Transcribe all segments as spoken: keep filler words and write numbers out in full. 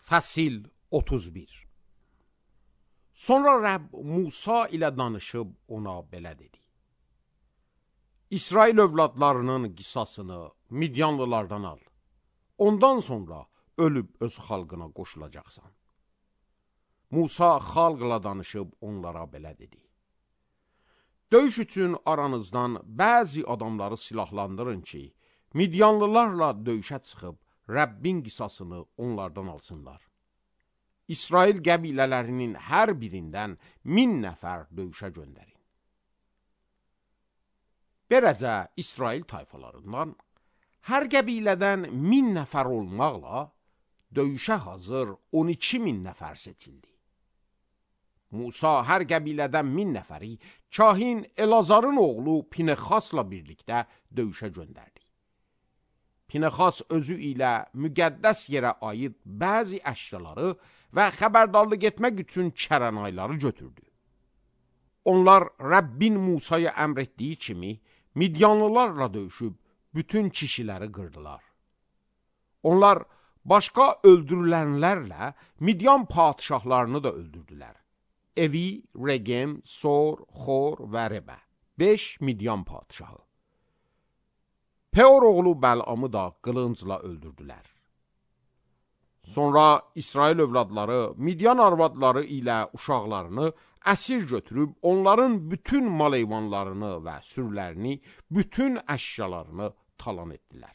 Fəsil otuz bir. Sonra Rəbb Musa ilə danışıb ona belə dedi: İsrail övladlarının qisasını Midyanlılardan al. Ondan sonra ölüb öz xalqına qoşulacaqsan. Musa xalqla danışıb onlara belə dedi: Döyüş üçün aranızdan bəzi adamları silahlandırın ki, Midyanlılarla döyüşə çıxıb Rəbbin qisasını onlardan alsınlar. İsrail qəbilələrinin hər birindən min nəfər döyüşə göndərin. Beləcə İsrail tayfalarından hər qəbilədən min nəfər olmaqla döyüşə hazır on iki min nəfər seçildi. Musa hər qəbilədən min nəfəri kahin Elazarın oğlu Pinexasla birlikdə döyüşə göndərdi. Pinexas özü ilə müqəddəs yerə aid bəzi əşyaları və xəbərdarlıq etmək üçün kərənayları götürdü. Onlar Rəbbin Musaya əmr etdiyi kimi Midyanlılarla döyüşüb bütün kişiləri qırdılar. Onlar başqa öldürülənlərlə Midyan padişahlarını da öldürdülər. Evi, Regem, Sor, Xor və Rebə. Beş Midyan padişahı. Peor oğlu Bəlamı da qılıncla öldürdülər. Sonra İsrail övladları Midyan arvadları ilə uşaqlarını əsir götürüb onların bütün mal-heyvanlarını və sürülərini, bütün əşyalarını talan etdilər.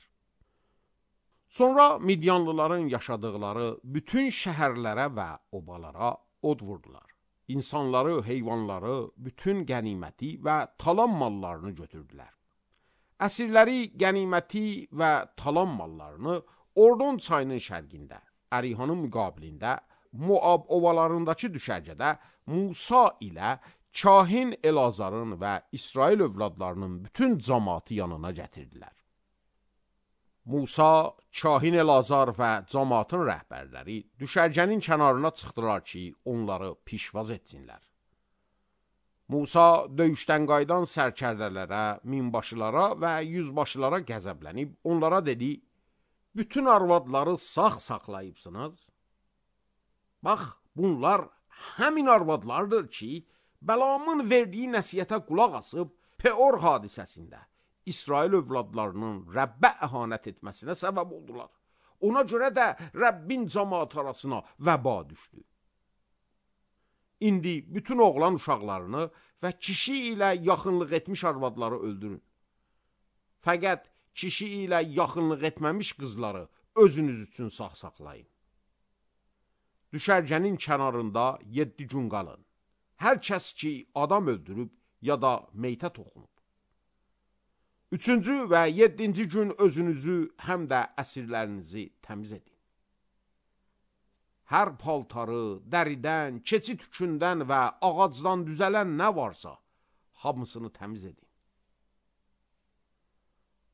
Sonra Midyanlıların yaşadıqları bütün şəhərlərə və obalara od vurdular. İnsanları, heyvanları, bütün qəniməti və talan mallarını götürdülər. Əsirləri, qəniməti və talan mallarını Ordon çayının şərqində, Ərihanın müqabilində, Moab ovalarındakı düşərgədə Musa ilə kahin Elazarın və İsrail övladlarının bütün cəmaatı yanına gətirdilər. Musa, kahin Elazar və cəmaatın rəhbərləri düşərgənin kənarına çıxdılar ki, onları pişvaz etsinlər. Musa döyüşdən qaydan sərkərdələrə, minbaşılara və yüzbaşılara qəzəblənib onlara dedi: Bütün arvadları sağ saxlayıbsınız. Bax, bunlar həmin arvadlardır ki, Bəlamın verdiyi nəsiyyətə qulaq asıb Peor hadisəsində İsrail övladlarının Rəbbə əhanət etməsinə səbəb oldular. Ona görə də Rəbbin cəmaat arasına vəba düşdü. İndi bütün oğlan uşaqlarını və kişi ilə yaxınlıq etmiş arvadları öldürün. Fəqət kişi ilə yaxınlıq etməmiş qızları özünüz üçün sağ saxlayın. Düşərgənin kənarında yeddi gün qalın. Hər kəs ki adam öldürüb ya da meytə toxunub. Üçüncü və yeddinci gün özünüzü həm də əsirlərinizi təmiz edin. Hər paltarı, dəridən, keçi tükündən və ağacdan düzələn nə varsa, hamısını təmiz edin.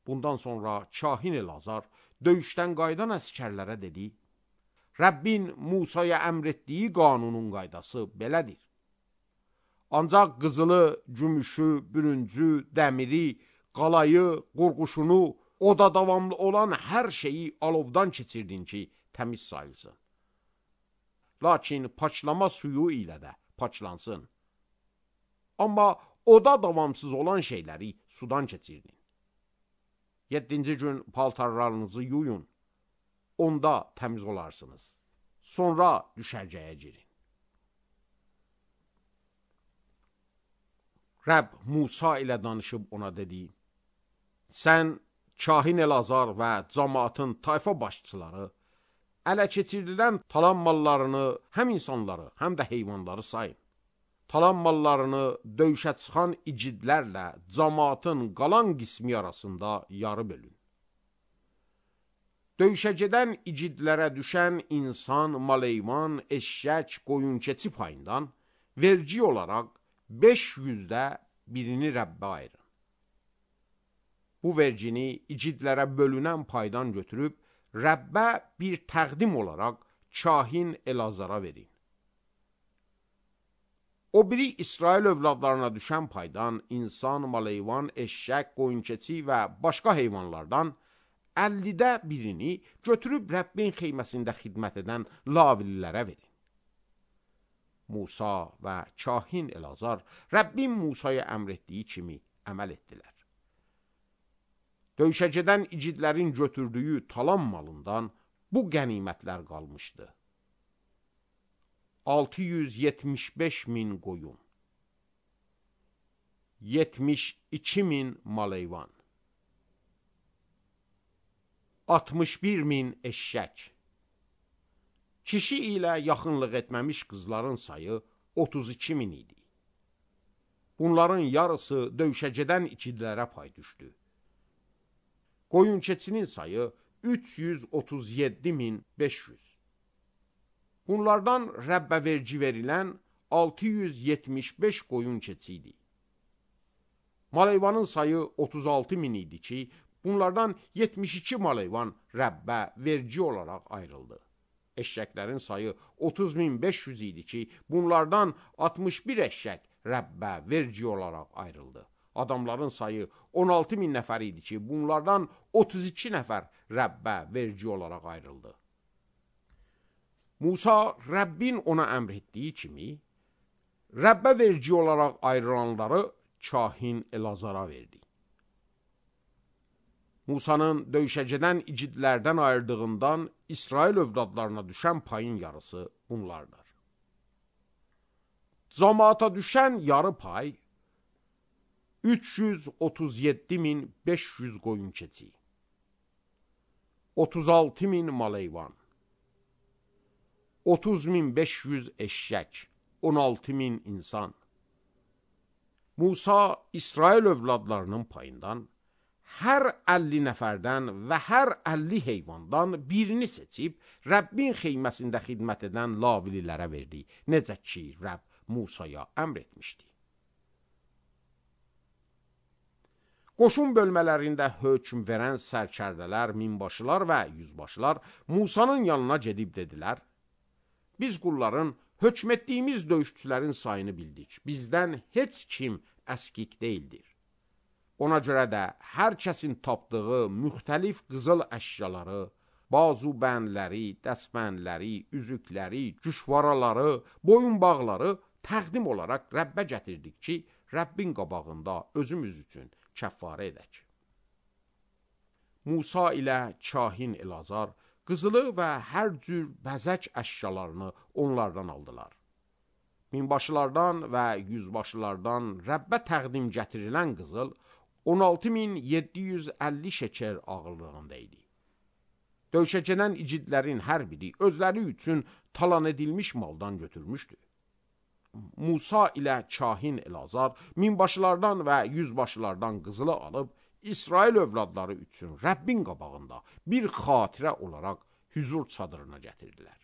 Bundan sonra kahin Elazar döyüşdən qaydan əskərlərə dedi: Rəbbin Musaya əmr etdiyi qanunun qaydası belədir. Ancaq qızılı, gümüşü, bürüncü, dəmiri, qalayı, qurğuşunu, oda davamlı olan hər şeyi alovdan keçirdin ki, təmiz sayılsın. Lakin paçlama suyu ilə də paçlansın. Amma oda davamsız olan şeyləri sudan keçirdin. Yeddinci gün paltarlarınızı yuyun, onda təmiz olarsınız. Sonra düşərgəyə girin. Rəbb Musa ilə danışıb ona dedi: Sən kahin Elazar və cəmaatın tayfa başçıları ələ keçirilən talan mallarını həm insanları, həm də heyvanları sayın. Talan mallarını döyüşə çıxan icidlərlə cəmaatın qalan qismi arasında yarı bölün. Döyüşə gedən icidlərə düşən insan, mal-heyvan, eşşək, qoyun-keçi payından vergi olaraq beş yüzdə birini Rəbbə ayırın. Bu vergini icidlərə bölünən paydan götürüb Rəbbə bir təqdim olaraq kahin Elazara verin. O biri İsrail övladlarına düşən paydan insan, mal-heyvan, eşşək, qoyun-keçi və başqa heyvanlardan əllidə birini götürüb Rəbbin xeyməsində xidmət edən lavililərə verin. Musa və kahin Elazar Rəbbin Musaya əmr etdiyi kimi əməl etdilər. Döyüşə gedən igidlərin götürdüyü talan malından bu qənimətlər qalmışdı. altı yüz yetmiş beş min qoyun, yetmiş iki min maleyvan, altmış bir min eşşək. Kişi ilə yaxınlıq etməmiş qızların sayı otuz iki min idi. Bunların yarısı döyüşə gedən igidlərə pay düşdü. Qoyun keçinin sayı üç yüz otuz yeddi min beş yüz. Bunlardan Rəbbə vergi verilən altı yüz yetmiş beş qoyun keçi idi. Maleyvanın sayı otuz altı min idi ki, bunlardan yetmiş iki maleyvan Rəbbə vergi olaraq ayrıldı. Eşşəklərin sayı otuz min beş yüz idi ki, bunlardan altmış bir eşşək Rəbbə vergi olaraq ayrıldı. Adamların sayı on altı min nəfər idi ki, bunlardan otuz iki nəfər Rəbbə vergi olaraq ayrıldı. Musa Rəbbin ona əmr etdiyi kimi, Rəbbə vergi olaraq ayrılanları kahin Elazara verdi. Musanın döyüşə gedən igidlərdən ayırdığından İsrail övladlarına düşən payın yarısı bunlardır. Camaata düşən yarı pay üç yüz otuz yeddi min beş yüz qoyun keçi, otuz altı min maleyvan, otuz min beş yüz eşşək, on altı min insan. Musa İsrail övladlarının payından hər əlli nəfərdən və hər əlli heyvandan birini seçib Rəbbin xeyməsində xidmət edən lavililərə verdi, necə ki Rəbb Musaya əmr etmişdi. Qoşun bölmələrində hökm verən sərkərdələr, minbaşılar və yüzbaşılar Musanın yanına gedib dedilər, biz qulların hökm etdiyimiz döyüşçülərin sayını bildik, bizdən heç kim əskik deyildir. Ona görə də hər kəsin tapdığı müxtəlif qızıl əşyaları, bazu bənləri, dəsbənləri, üzükləri, cüşvaraları, boyun bağları təqdim olaraq Rəbbə gətirdik ki, Rəbbin qabağında özümüz üçün kəffarə edək. Musa ilə kahin Elazar qızılı və hər cür bəzək əşyalarını onlardan aldılar. Minbaşılardan və yüzbaşılardan Rəbbə təqdim gətirilən qızıl on altı min yeddi yüz əlli şəkər ağırlığında idi. Döyüşə gedən igidlərin hər biri özləri üçün talan edilmiş maldan götürmüşdü. Musa ilə kahin Elazar minbaşılardan və yüzbaşılardan qızılı alıb İsrail övladları üçün Rəbbin qabağında bir xatirə olaraq hüzur çadırına gətirdilər.